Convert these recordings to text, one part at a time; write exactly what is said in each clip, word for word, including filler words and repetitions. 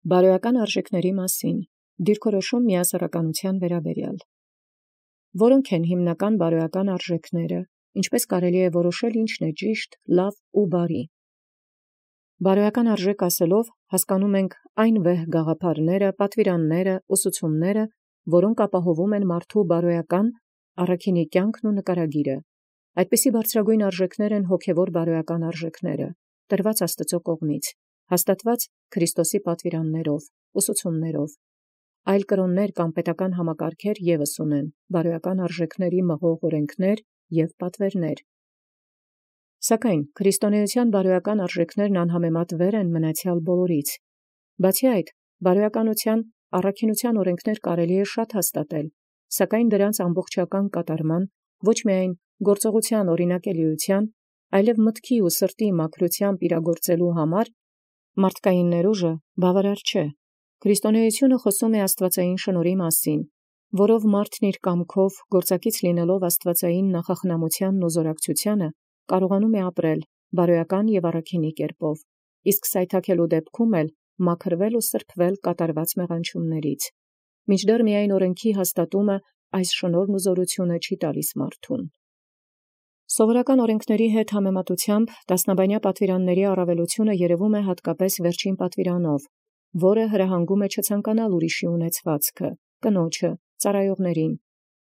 Բարոյական արժեքների մասին դիրքորոշում միասեռականության վերաբերյալ։ Որոնք են հիմնական բարոյական արժեքները, ինչպես կարելի է որոշել ինչ է ճիշտ, լավ ու բարի։ Բարոյական արժեք ասելով հասկանում ենք այն վեհ գաղափարները, պատվիրանները, ուսուցումները, որոնք ապահովում են մարդու բարոյական առաքինի կյանքն ու նկարագիրը։ Այդպիսի բարձրագույն արժեքներ են հոգևոր բարոյական արժեքները, տրված Աստծո կողմից, հաստատված Քրիստոսի պատվիրաններով, ուսուցումներով։ Այլ կրոններ կամ պետական համակարգեր ևս ունեն բարոյական արժեքների մղող օրենքներ և պատվերներ։ Սակայն քրիստոնեության բարոյական արժեքներն անհամեմատ վեր են մնացյալ բոլորից։ Բացի այդ, բարոյականության առաքինության օրենքներ կարելի է շատ հաստատել, սակայն դրանց ամբողջական կատարման, ոչ միայն գործողության օրինակելիության, այլև մտքի ու սրտի մաքրությամբ իրագործելու համար մարդկային ներուժը բավարար չէ։ Քրիստոնեությունը խոսում է աստվածային շնորհի մասին, որով մարդն իր կամքով գործակից լինելով աստվածային նախախնամությանն ու զորակցությանը կարողանում է ապրել բարոյական և առաքինի կերպով, իսկ սայթաքելու դեպքում էլ մաքրվել ու սրբվել կատարված մեղանչումներից, մինչդեռ միայն օրենքի հաստատումը այս շնորհն ու զորությունը չի տալիս մարդուն։ Սովորական օրենքների հետ համեմատությամբ տասնաբանյա պատվիրանների առավելությունը երևում է հատկապես վերջին պատվիրանով, որը հրահանգում է չցանկանալ ուրիշի ունեցվածքը, կնոջը, ծառայողներին։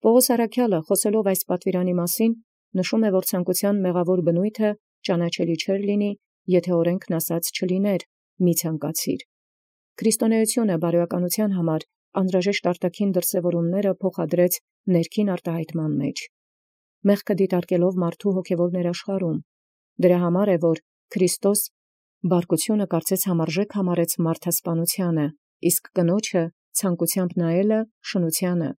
Պողոս առաքյալը, խոսելով այս պատվիրանի մասին, նշում է, որ ցանկության մեղավոր բնույթը ճանաչելի չէր լինի, եթե օրենքն ասած չլիներ՝ մի ցանկացիր։ Քրիստոնեությունը բարոյականության համար անհրաժեշտ արտաքին դրսևորումները փոխադրեց ներքին արտահայտման մեջ, մեղքը դիտարկելով մարդու հոգևոր ներաշխարհում։ Դրա համար է, որ Քրիստոս բարկությունը կարծես համարժեք համարեց մարդասպանությանը, իսկ կնոջը ցանկությամբ նայելը շնությանը։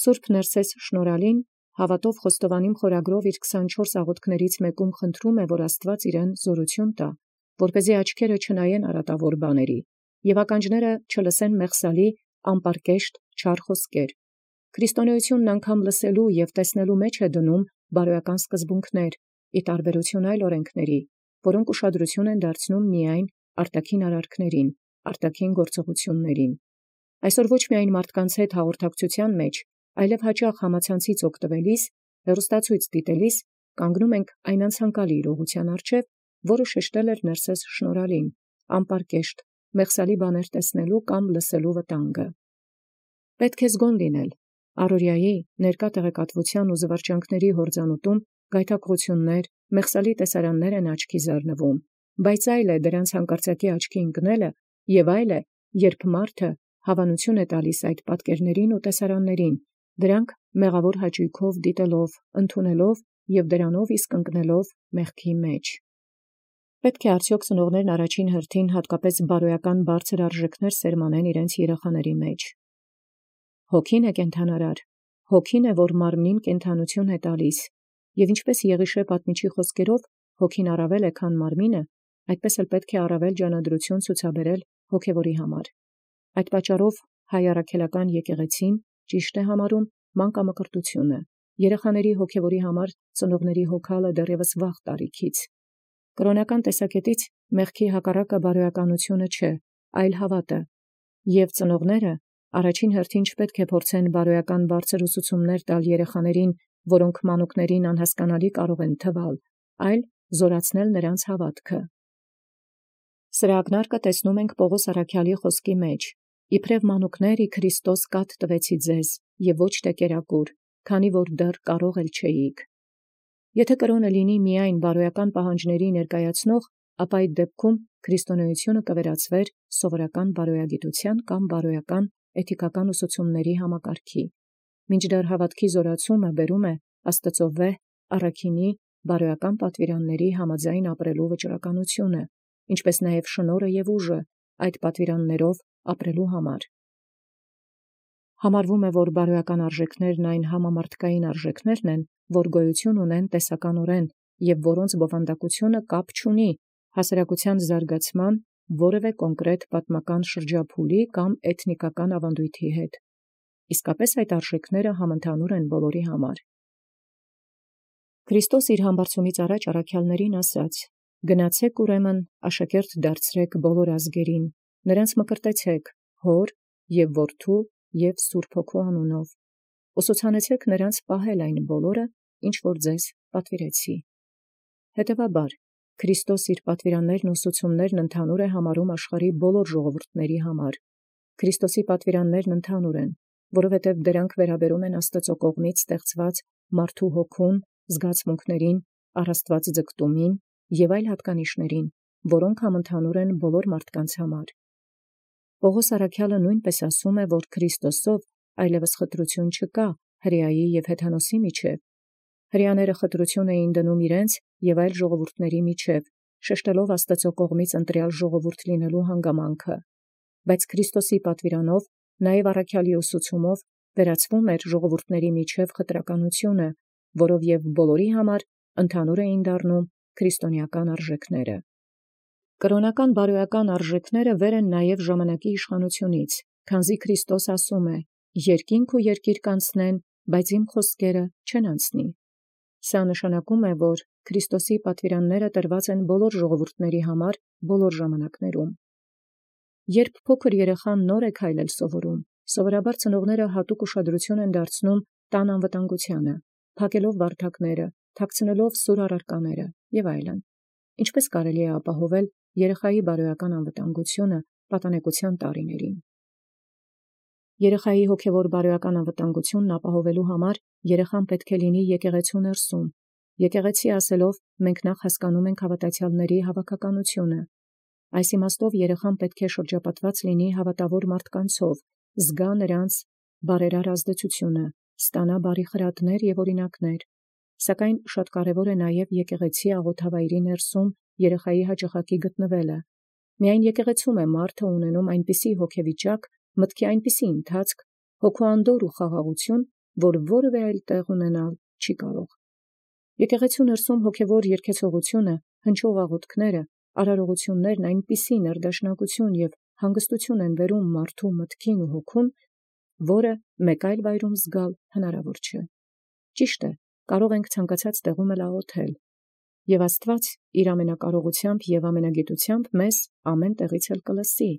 Սուրբ Ներսես Շնորհալին հավատով խոստովանիմ խորագրով իր քսանչորս աղոթքներից մեկում խնդրում է, որ Աստված իրեն զորություն տա, որպեսզի աչքերը չնայեն արատավոր բաների, և ականջները չլսեն մեղսալի անպարկեշտ չար խոսքեր։ Քրիստոնեությունն անգամ լսելու և տեսնելու մեջ է դնում բարոյական սկզբունքներ, ի տարբերություն այլ օրենքների, որոնք ուշադրություն են դարձնում միայն արտաքին արարքներին, արտաքին գործողություններին։ Այսօր ոչ միայն մարդկանց հետ հաղորդակցության մեջ, այլև հաճախ համացանցից օգտվելիս, հեռուստացույց դիտելիս, կանգնում ենք այն անցանկալի իրողության առջև, որը շեշտել էր Ներսես Շնորհալին, անպարկեշտ, մեղսալի բաներ տեսնելու կամ լսելու վտանգը։ Պետք է զգոն լինել, առօրյայի ներկա տեղեկատվության ու զվարճանքների հորձանուտում գայթակղություններ, մեղսալի տեսարաններ են աչքի զարնվում, բայց այլ է դրանց հանկարծակի աչքի ընկնելը, և այլ է, երբ մարդը հավանություն է տալիս այդ պատկերներին ու տեսարաններին, դրանք մեղավոր հաճույքով դիտելով, ընդունելով և դրանով իսկ ընկնելով մեղքի մեջ։ Պետք է արդյոք ծնողներն առաջին հերթին հատկապես բարոյական բարձր արժեքներ սերմանեն իրենց երեխաների մեջ։ Հոգին է կենդանարար, հոգին է, որ մարմնին կենդանություն է տալիս, և ինչպես Եղիշե պատմիչի խոսքերով հոգին առավել է, քան մարմինը, այդպես էլ պետք է առավել ջանադրություն ցուցաբերել հոգևորի համար։ Այդ պատճառով հայ առաքելական եկեղեցին ճիշտ է համարում մանկամկրտությունը, երեխաների հոգևորի համար ծնողների հոգալը դեռևս վաղ տարիքից։ Կրոնական տեսակետից մեղքի հակառակը բարոյականությունը չէ, այլ հավատը, և ծնողները առաջին հերթին չպետք է փորձեն բարոյական բարձր ուսուցումներ տալ երեխաներին, որոնք մանուկներին անհասկանալի կարող են թվալ, այլ զորացնել նրանց հավատքը։ Սրա ակնարկը տեսնում ենք Պողոս առաքյալի խոսքի մեջ. «Իբրև մանուկներ ի Քրիստոս կաթ տվեցի ձեզ, և ոչ թե կերակուր, քանի որ դեռ կարող էլ չէիք»։ Եթե կրոնը լինի միայն բարոյական պահանջների ներկայացնող, ապա այդ դեպքում քրիստոնեությունը կվերածվեր սովորական բարոյագիտության կամ բարոյական էթիկական ուսուցումների համակարգի, մինչդեռ հավատքի զորացումը բերում է Աստծո վեհ առաքինի բարոյական պատվիրանների համաձայն ապրելու վճռականությունը, ինչպես նաև շնորհը և ուժը այդ պատվիրաններով ապրելու համար։ Համարվում է, որ բարոյական արժեքներն այն համամարտկային արժեքներն են, որ գոյություն ունեն տեսականորեն և որոնց բովանդակությունը կապ չունի հասարակության զարգացման որևէ կոնկրետ պատմական շրջափուլի կամ էթնիկական ավանդույթի հետ։ Իսկապես այդ արժեքները համընդհանուր են բոլորի համար։ Քրիստոս իր համբարձումից առաջ առաքյալներին ասաց. «Գնացեք ուրեմն աշակերտ դարձրեք բոլոր ազգերին, Նրանց մկրտեցեք հոր և որդու և Սուրբ Հոգու անունով, ուսուցանեցեք նրանց պահել այն բոլորը, ինչ որ ձեզ պատվիրեցի։ Հետևաբար, Քրիստոս իր պատվիրաններն ու ուսուցումներն ընդհանուր է համարում աշխարհի բոլոր ժողովուրդների համար։ Քրիստոսի պատվիրաններն ընդհանուր են, որովհետև դրանք վերաբերում են Աստծո կողմից ստեղծված մարդու հոգուն, զգացմունքներին, առաստված ձգտումին և այլ հատկանիշներին, որոնք համընդհանուր են բոլոր մարդկանց համար։ Պողոս առաքյալը նույնպես ասում է, որ Քրիստոսով այլևս խտրություն չկա հրեայի և հեթանոսի միջև։ Հրեաները խտրություն էին դնում իրենց և այլ ժողովուրդների միջև, շեշտելով Աստծո կողմից ընտրյալ ժողովուրդ լինելու հանգամանքը, բայց Քրիստոսի պատվիրանով, նաև առաքյալի ուսուցումով վերացվում էր ժողովուրդների միջև խտրականությունը, որով և բոլորի համար ընդհանուր էին դառնում քրիստոնեական արժեքները։ Կրոնական բարոյական արժեքները վեր են նաև ժամանակի իշխանությունից, քանզի Քրիստոս ասում է. «Երկինք ու երկիր կանցնեն, բայց իմ խոսքերը չեն անցնի»։ Սա նշանակում է, որ Քրիստոսի պատվիրանները տրված են բոլոր ժողովուրդների համար բոլոր ժամանակներում։ Երբ փոքր երեխան նոր է քայլել սովորում, սովորաբար ծնողները հատուկ ուշադրություն են դարձնում տան անվտանգությանը, փակելով վարդակները, թաքցնելով սուր առարկաները և այլն։ Ինչպես կարելի է ապահովել երեխայի բարոյական անվտանգությունը պատանեկության տարիներին։ Երեխայի հոգևոր բարոյական անվտանգությունն ապահովելու համար երեխան պետք է լինի եկեղեցու ներսում։ Եկեղեցի ասելով մենք նախ հասկանում ենք հավատացյալների հավաքականությունը։ Այս իմաստով երեխան պետք է շրջապատված լինի հավատավոր մարդկանցով, զգա նրանց բարերար ազդեցությունը, ստանա բարի խրատներ և օրինակներ։ Սակայն շատ կարևոր է նաև եկեղեցի աղոթավայրի ներսում երեխայի հաճախակի գտնվելը։ Միայն եկեղեցում է մարդը ունենում այնպիսի հոգեվիճակ, մտքի այնպիսի ընթացք, հոգու անդորր ու խաղաղություն, որ որևէ այլ տեղ ունենալ չի կարող։ Եկեղեցու ներսում հոգևոր երգեցողությունը, հնչող աղոթքները, արարողություններն այնպիսի ներդաշնակություն և հանգստություն են բերում մարդու մտքին ու հոգուն, որը մեկ այլ վայրում զգալ հնարավոր չէ։ Ճիշտ է, կարող ենք ցանկացած տեղում էլ աղոթել, և Աստված իր ամենակարողությամբ և ամենագիտությամբ մեզ ամեն տեղից էլ կլսի,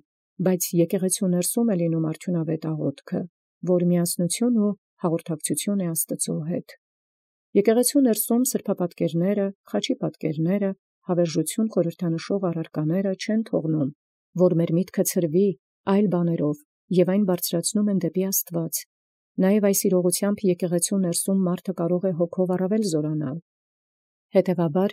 բայց եկեղեցու ներսում է լինում արդյունավետ աղոթքը, որ միասնություն ու հաղորդակցություն է Աստծո հետ։ Եկեղեցու ներսում սրբապատկերները, խաչի պատկերները, հավերժություն խորհրդանշող առարկաները չեն թողնում, որ մեր միտքը ցրվի այլ բաներով և այն բարձրացնում են դեպի Աստված։ Նաև այս իրողությամբ եկեղեցու ներսում մարդը կարող է հոգով առավել զորանալ։ Հետևաբար,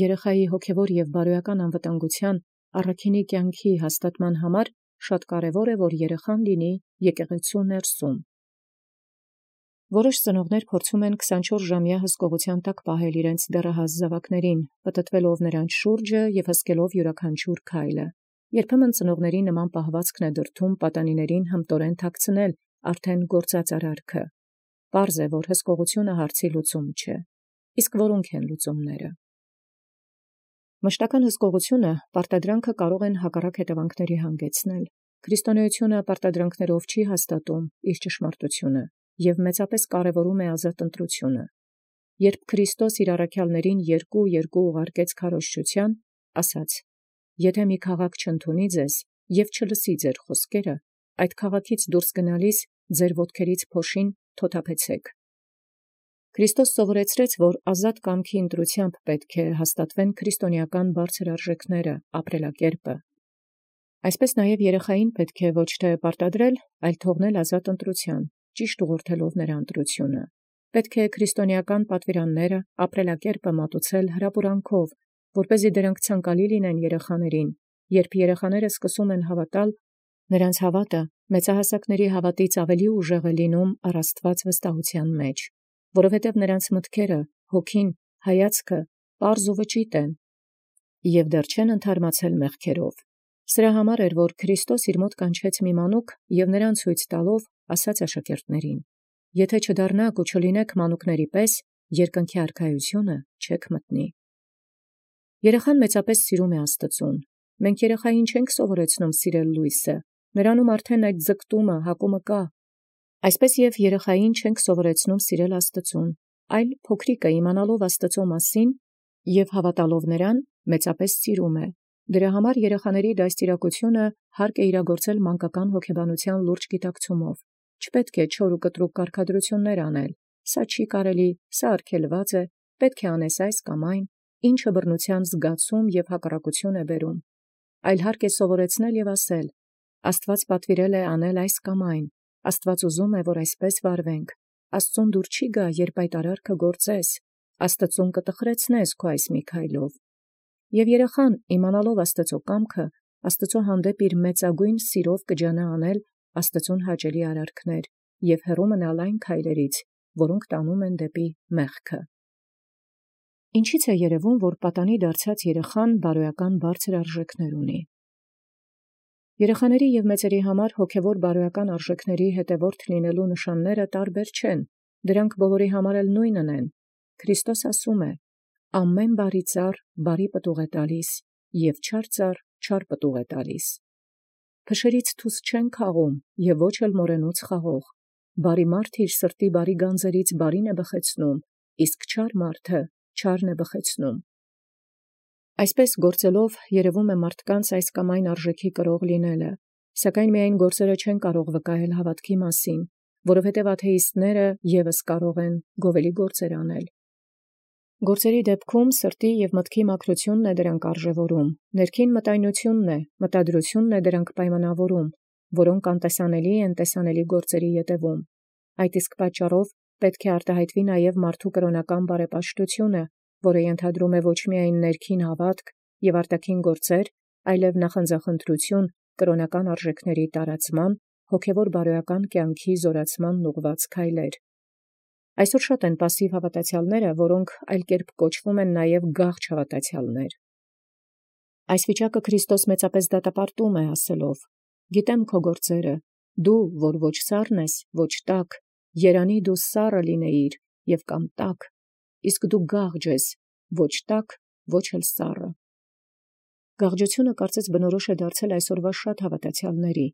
երեխայի հոգևոր և բարոյական անվտանգության առաքինի կյանքի հաստատման համար շատ կարևոր է, որ երեխան լինի եկեղեցու ներսում։ Որոշ ծնողներ փորձում են քսանչորս ժամյա հսկողության տակ պահել իրենց դեռահաս զավակներին, պտտվելով նրանց շուրջը և հսկելով յուրաքանչյուր քայլը։ Երբեմն ծնողների նման պահվածքն է դրդում պատանիներին հմտորեն թաքցնել արդեն գործած արարքը։ Պարզ է, որ հսկողությունը հարցի լուծում չէ։ Իսկ որո՞նք են լուծումները։ Մշտական հսկողությունը պարտադրանքը կարող են հակառակ հետևանքների հանգեցնել։ Քրիստոնեությունը պարտադրանքներով չի հաստատում իր ճշմարտությունը և մեծապես կարևորում է ազատ ընտրությունը։ Երբ Քրիստոս իր առաքյալներին երկու երկու ուղարկեց քարոզչության, ասաց. «Եթե մի քաղաք չընդունի ձեզ և չլսի ձեր խոսքերը, այդ քաղաքից դուրս գնալիս ձեր ոտքերից փոշին թոթափեցեք»։ Քրիստոս սովորեցրեց, որ ազատ կամքի ընտրությամբ պետք է հաստատվեն քրիստոնեական բարձր արժեքները, ապրելակերպը։ Այսպես նաև երեխային պետք է ոչ թե պարտադրել, այլ թողնել ազատ ընտրության, ճիշտ ուղղորդելով նրա ընտրությունը։ Պետք է քրիստոնեական պատվիրանները, ապրելակերպը մատուցել հրապուրանքով, որպեսզի դրանք ցանկալի լինեն երեխաներին։ Երբ երեխաները սկսում են հավատալ, նրանց հավատը մեծահասակների հավատից ավելի ուժեղ է լինում առ Աստված վստահության մեջ, որովհետև նրանց մտքերը, հոգին, հայացքը պարզ ու վճիտ են և դեռ չեն ընդհարմացել մեղքերով։ Սրա համար էր, որ Քրիստոս իր մոտ կանչեց մի մանուկ և նրան ցույց տալով ասաց աշակերտներին. «Եթե չդառնաք ու չլինեք մանուկների պես, երկնքի արքայությունը չեք մտնի»։ Երեխան մեծապես սիրում է Աստծուն։ Մենք երեխային չենք սովորեցնում սիրել լույսը, նրանում արդեն այդ ձգտումը, հակումը կա։ Այսպես և երեխային չենք սովորեցնում սիրել Աստծուն, այլ փոքրիկը իմանալով Աստծո մասին և հավատալով նրան, մեծապես սիրում է, Դրա համար երեխաների դաստիարակությունը հարկ է իրագործել մանկական հոգեբանության լուրջ գիտակցումով։ Չպետք է չոր ու կտրուկ կարգադրություններ անել, սա չի կարելի, սա արգելված է, պետք է անես այս կամ այն, ինչը բռնության զգացում և հակառակություն է բերում։ Այլ հարկ է սովորեցնել և ասել. Աստված պատվիրել է անել այս կամ այն, Աստված ուզում է, որ այսպես վարվենք, Աստծուն դուր չի գա, երբ այդ արարքը գործես, Աստծուն կտխրեցնես քո այս մի քայլով։ Եւ երեխան, իմանալով Աստծո կամքը, Աստծո հանդեպ իր մեծագույն սիրով կջանա անել Աստծուն հաճելի արարքներ եւ հեռու մնալ այն քայլերից, որոնք տանում են դեպի մեղքը։ Ինչից է երևում, որ պատանի դարձած երեխան բարոյական բարձր արժեքներ ունի։ Երեխաների եւ մեծերի համար հոգևոր բարոյական արժեքների հետևորդ լինելու նշանները տարբեր չեն, դրանք բոլորի համար էլ նույնն են։ Քրիստոս ասում է. «Ամեն բարի ծառ բարի պտուղ է տալիս, եւ չար ծառ չար պտուղ է տալիս»։ Փշերից թուս չեն քաղում, եւ ոչ էլ մորենուց խաղող։ Բարի մարդ իր սրտի բարի գանձերից բարին է բխեցնում, իսկ չար մարդը չարն է բխեցնում։ Այսպես գործելով երևում է մարդկանց այս կամ այն արժեքի կրող լինելը, սակայն միայն գործերը չեն կարող վկայել հավատքի մասին, որովհետև աթեիստները ևս կարող են գովելի գործեր անել։ Գործերի դեպքում սրտի և մտքի մաքրությունն է դրանք արժևորում, ներքին մտայնությունն է, մտադրությունն է դրանք պայմանավորում, որոնք անտեսանելի են տեսանելի գործերի ետևում։ Այդ իսկ պատճառով պետք է արտահայտվի նաև մարդու կրոնական բարեպաշտությունը, որը ենթադրում է ոչ միայն ներքին հավատք և արտաքին գործեր, այլև նախանձախնդրություն կրոնական արժեքների տարածման, հոգևոր բարոյական կյանքի զորացման ուղղված քայլեր։ Այսօր շատ են պասիվ հավատացյալները, որոնք այլ կերպ կոչվում են նաև գաղջ հավատացյալներ։ Այս վիճակը Քրիստոս մեծապես դատապարտում է ասելով. «Գիտեմ քո գործերը, դու, որ ոչ սառն ես, ոչ տաք, երանի դու սառը լինեիր և կամ տաք, իսկ դու գաղջ ես, ոչ տաք, ոչ էլ սառը»։ Գաղջությունը կարծես բնորոշ է դարձել այսօրվա շատ հավատացյալների,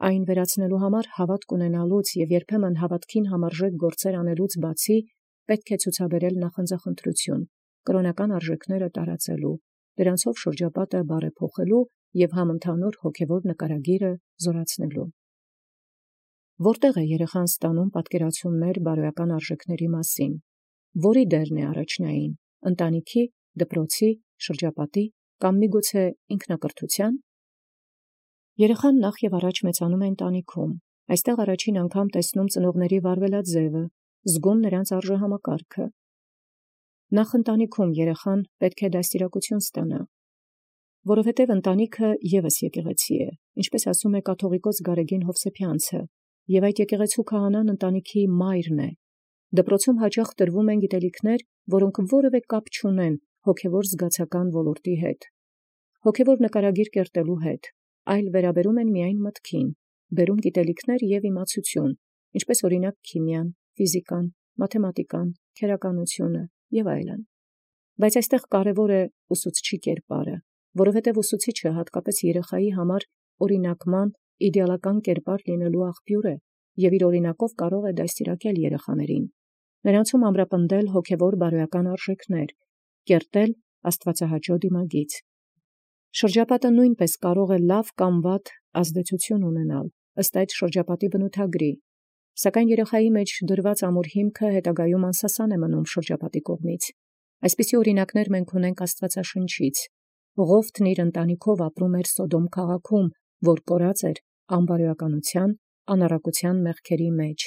այն վերացնելու համար հավատք ունենալուց և երբեմն հավատքին համարժեք գործեր անելուց բացի, պետք է ցուցաբերել նախանձախնդրություն, կրոնական արժեքները տարածելու, դրանցով շրջապատը բարեփոխելու և համընդհանուր հոգևոր նկարագիրը զորացնելու։ Որտեղ է երեխան ստանում պատկերացումներ բարոյական արժեքների մասին, որի դերն է առաջնային, ընտանիքի, դպրոցի, շրջապատի կամ միգուցե ինքնակրթության։ Երեխան նախ եւ առաջ մեծանում է ընտանիքում, այստեղ առաջին անգամ տեսնում ծնողների վարվելաձևը, զգում նրանց արժեհամակարգը։ Նախ ընտանիքում երեխան պետք է դաստիարակություն ստանա, որովհետև ընտանիքը ևս եկեղեցի է, ինչպես ասում է կաթողիկոս Գարեգին Հովսեփյանցը, եւ այդ եկեղեցու քահանան ընտանիքի մայրն է։ Դպրոցում հաճախ տրվում են գիտելիքներ, որոնք որևէ կապ չունեն հոգևոր զգացական ոլորտի հետ, հոգևոր նկարագիր կերտելու հետ, այլ վերաբերում են միայն մտքին, բերում գիտելիքներ եւ իմացություն, ինչպես օրինակ քիմիան, ֆիզիկան, մաթեմատիկան, քերականությունը եւ այլն։ Բայց այստեղ կարևոր է ուսուցչի կերպարը, որովհետև ուսուցիչը հատկապես երեխայի համար օրինակման, իդեալական կերպար լինելու աղբյուր է եւ իր օրինակով կարող է դաստիարակել երեխաներին, նրանցում ամրապնդել հոգևոր բարոյական արժեքներ, կերտել աստվածահաճո դիմագիծ։ Շրջապատը նույնպես կարող է լավ կամ վատ ազդեցություն ունենալ ըստ այդ շրջապատի բնութագրի, սակայն երեխայի մեջ դրված ամուր հիմքը հետագայում անսասան է մնում շրջապատի կողմից։ Այսպիսի օրինակներ մենք ունենք Աստվածաշնչից։ Ղովթն իր ընտանիքով ապրում էր Սոդոմ քաղաքում, որ կորած էր անբարոյականության, անառակության մեղքերի մեջ,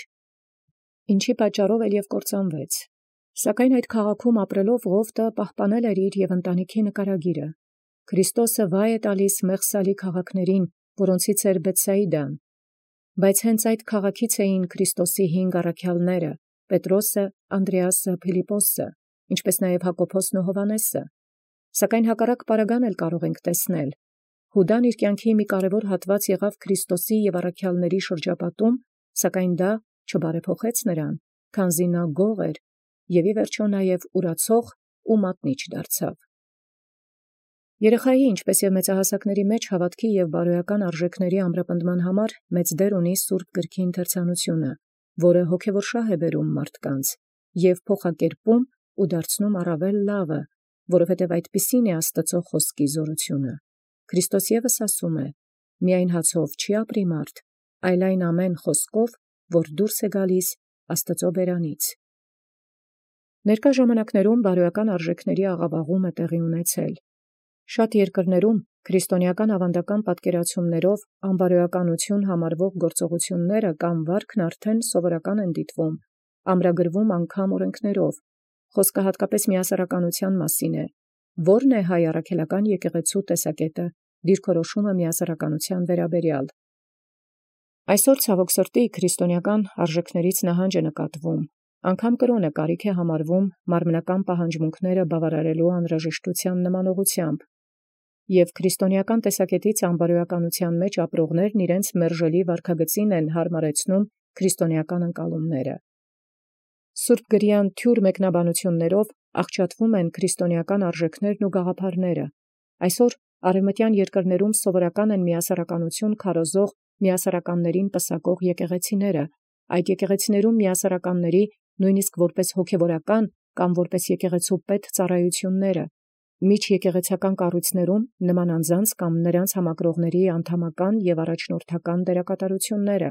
ինչի պատճառով էլ եւ կործանվեց։ Սակայն այդ քաղաքում ապրելով Ղովթը պահպանել էր իր եւ ընտանիքի նկարագիրը։ Քրիստոսը վայ է տալիս մեղսալի քաղաքներին, որոնցից էր Բեթսայիդան, բայց հենց այդ քաղաքից էին Քրիստոսի հինգ առաքյալները՝ Պետրոսը, Անդրեասը, Փիլիպոսը, ինչպես նաև Հակոբոսն ու Հովհաննեսը։ Սակայն հակառակ պարագան էլ կարող ենք տեսնել։ Հուդան իր կյանքի մի կարևոր հատված եղավ Քրիստոսի եւ առաքյալների շրջապատում, սակայն դա չբարեփոխեց նրան, քանզի նա գող էր եւ ի վերջո նաև ուրացող ու մատնիչ դարձավ։ Երեխայի, ինչպես եւ մեծահասակների մեջ հավատքի եւ բարոյական արժեքների ամրապնդման համար մեծ դեր ունի Սուրբ Գրքի ընթերցանությունը, որը հոգևոր շահ է բերում մարդկանց եւ փոխակերպում ու դարձնում առավել լավը, որովհետև այդպիսին է Աստծո խոսքի զորությունը։ Քրիստոս ևս ասում է. «Միայն հացով չի ապրի մարդ, այլ այն ամեն խոսքով, որ դուրս է գալիս Աստուծոյ բերանից»։ Ներկա ժամանակներում բարոյական արժեքների աղավաղում է տեղի ունեցել։ Շատ երկրներում քրիստոնեական ավանդական պատկերացումներով անբարոյականություն համարվող գործողությունները կամ վարքն արդեն սովորական են դիտվում, ամրագրվում անգամ օրենքներով։ Խոսքը հատկապես միասեռականության մասին է, որն է հայ առաքելական եկեղեցու տեսակետը, դիրքորոշումը միասեռականության վերաբերյալ։ Այսօր ցավոք սրտի քրիստոնեական արժեքներից նահանջ է նկատվում, անգամ կրոնը կարիք է համարվում մարմնական պահանջմունքները բավարարելու անհրաժեշտության նմանողությամբ, և քրիստոնեական տեսակետից անբարոյականության մեջ ապրողներն իրենց մերժելի վարքագծին են հարմարեցնում քրիստոնեական ընկալումները։ Սուրբ գրեան թյուր մեկնաբանություններով աղճատվում են քրիստոնեական արժեքներն ու գաղափարները։ Այսօր արևմտյան երկրներում սովորական են միասեռականություն քարոզող միասեռականներին պսակող եկեղեցիները, այդ եկեղեցիներում միասեռականների նույնիսկ որպես հոգևորական կամ որպես եկեղեցու պետ ծառայությունները, միջեկեղեցական կառույցներում նման անձանց կամ նրանց համակրողների անդամական և առաջնորդական դերակատարությունները։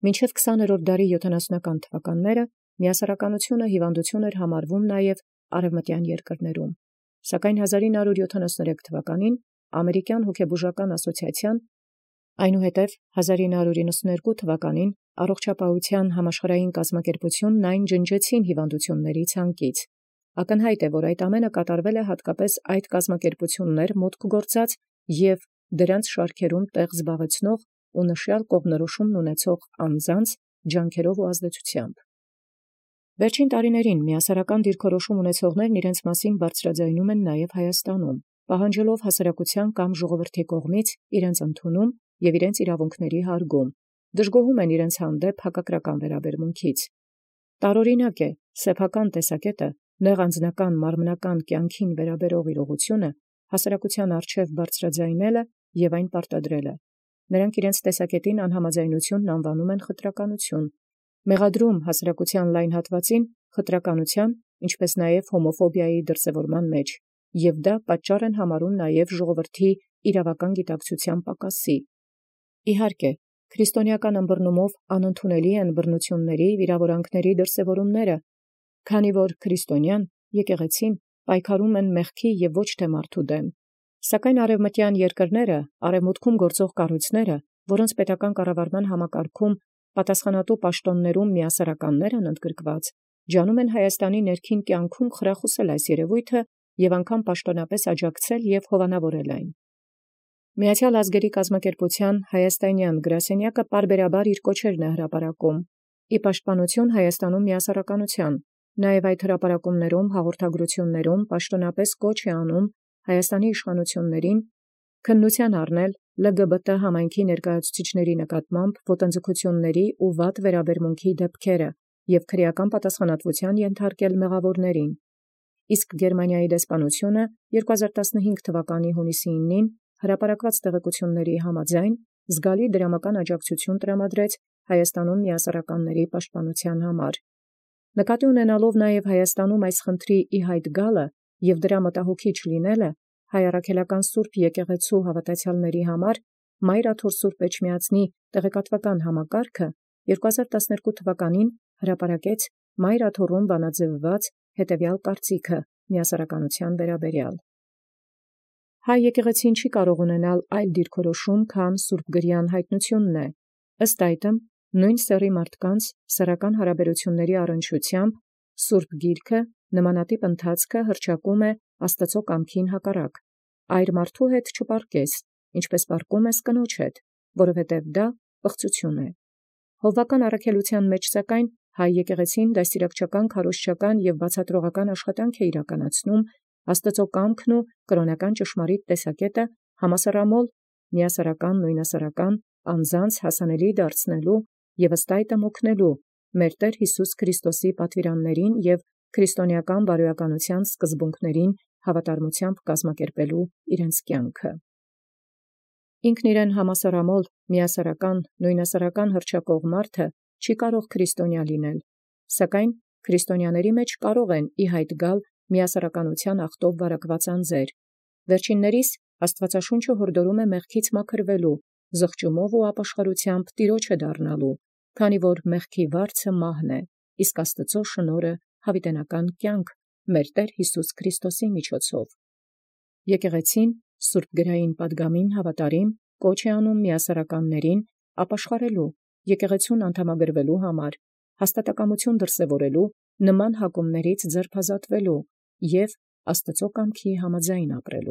Մինչև քսաներորդ դարի յոթանասունական թվականները միասեռականությունը հիվանդություն էր համարվում նաև արևմտյան երկրներում, սակայն հազար ինը հարյուր յոթանասուներեք թվականին ամերիկյան հոգեբուժական ասոցիացիան, այնուհետև հազար ինը հարյուր իննսունհերկու թվականին առողջապահության համաշխարհային կազմակերպությունն այն ջնջեցին հիվանդությունների ցանկից։ Ակնհայտ է, որ այդ ամենը կատարվել է հատկապես այդ կազմակերպություններ մուտք գործած և դրանց շարքերում տեղ զբաղեցնող ու նշյալ կողմնորոշումն ունեցող անձանց ջանքերով ու ազդեցությամբ։ Վերջին տարիներին միասեռական դիրքորոշում ունեցողներն իրենց մասին բարձրաձայնում են նաև Հայաստանում, պահանջելով հասարակության կամ ժողովրդի կողմից իրենց ընդունում և իրենց իրավունքների հարգում, դժգոհում են իրենց հանդեպ հակակրական վերաբերմունքից։ Տարօրինակ է սեփական տեսակետը նեղ անձնական մարմնական կյանքին վերաբերող իրողությունը հասարակության առջև բարձրաձայնելը և այն պարտադրելը։ Նրանք իրենց տեսակետին անհամաձայնությունն անվանում են խտրականություն, մեղադրում հասարակության լայն հատվածին խտրականության, ինչպես նաև հոմոֆոբիայի դրսևորման մեջ, և դա պատճառ են համարում նաև ժողովրդի իրավական գիտակցության պակասի։ Իհարկե, քրիստոնեական ըմբռնումով անընդունելի են բռնությունների, վիրավորանքների դրսևորումները, քանի որ քրիստոնյան եկեղեցին պայքարում են մեղքի և ոչ թե մարդու դեմ։ Սակայն արևմտյան երկրները, արևմուտքում գործող կառույցները, որոնց պետական կառավարման համակարգում պատասխանատու պաշտոններում միասեռականներ են ընդգրկված, ջանում են Հայաստանի ներքին կյանքում խրախուսել այս երևույթը և անգամ պաշտոնապես աջակցել և հովանավորել այն։ Միացյալ ազգերի կազմակերպության հայաստանյան գրասենյակը պարբերաբար իր կոչերն է հրապարակում ի պաշտպանություն Հայաստանում միասեռականության, նաև այդ հրապարակումներում հաղորդագրություններում պաշտոնապես կոչ է անում Հայաստանի իշխանություններին քննության առնել L G B T համայնքի ներկայացուցիչների նկատմամբ ոտնձգությունների ու վատ վերաբերմունքի դեպքերը և քրեական պատասխանատվության ենթարկել մեղավորներին։ Իսկ Գերմանիայի դեսպանությունը երկու հազար տասնհինգ թվականի հունիսի իննին հրապարակված տեղեկությունների համաձայն զգալի դրամական աջակցություն տրամադրեց Հայաստանում միասեռականների պաշտպանության համար։ Նկատի ունենալով նաև Հայաստանում այս խնդրի ի հայտ գալը և դրա մտահոգիչ լինելը, Հայ առաքելական սուրբ եկեղեցու հավատացյալների համար Մայր Աթոր սուրբ Էջմիածնի տեղեկատվական համակարգը երկու հազար տասներկու թվականին հրապարակեց Մայր Աթոռում բանաձևված հետևյալ կարծիքը միասեռականության վերաբերյալ։ Հայ եկեղեցին չի կարող ունենալ այլ դիրքորոշում, քան սուրբգրյան հայտնությունն է։ Ըստ այդմ, նույն սեռի մարդկանց սեռական հարաբերությունների առնչությամբ Սուրբ Գիրքը նմանատիպ ընթացքը հռչակում է Աստծո կամքին հակառակ։ Այր մարդու հետ չպարկես, ինչպես պարկում ես կնոջ հետ, որովհետև դա պղծություն է։ Հովվական առաքելության մեջ սակայն հայ եկեղեցին դաստիարակչական, քարոզչական և բացատրողական աշխատանք է իրականացնում Աստծո կամքն ու կրոնական ճշմարիտ տեսակետը համասեռամոլ, միասեռական, նույնասեռական անձանց հասանելի դարձնելու և ըստ այդմ օգնելու մեր Տեր Յիսուս Քրիստոսի պատվիրաններին և քրիստոնեական բարոյականության սկզբունքներին հավատարմությամբ կազմակերպելու իրենց կյանքը։ Ինքն իրեն համասեռամոլ, միասեռական, նույնասեռական հռչակող մարդը չի կարող քրիստոնյա լինել, սակայն քրիստոնյաների մեջ կարող են ի հայտ գալ միասեռականության աղտով վարակված անձեր։ Վերջիններիս Աստուածաշունչը յորդորում է մեղքից մաքրվելու, զղջումով և ապաշխարութեամբ տիրոջը դառնալու, քանի որ մեղքի վարձը մահն է, իսկ Աստուծոյ շնորհը յաւիտենական կյանք մեր Տէր Յիսուս Քրիստոսի միջոցով։ Եկեղեցին սուրբ գրային պատգամին հաւատարիմ կոչ է անում միասարականացն ապաշխարել, եկեղեցւոյն անդամագրվելու, հաստատակամութիւն դրսևորել, նման հակումաց ձերբազատվել և Աստուծոյ կամքին համաձայն ապրել։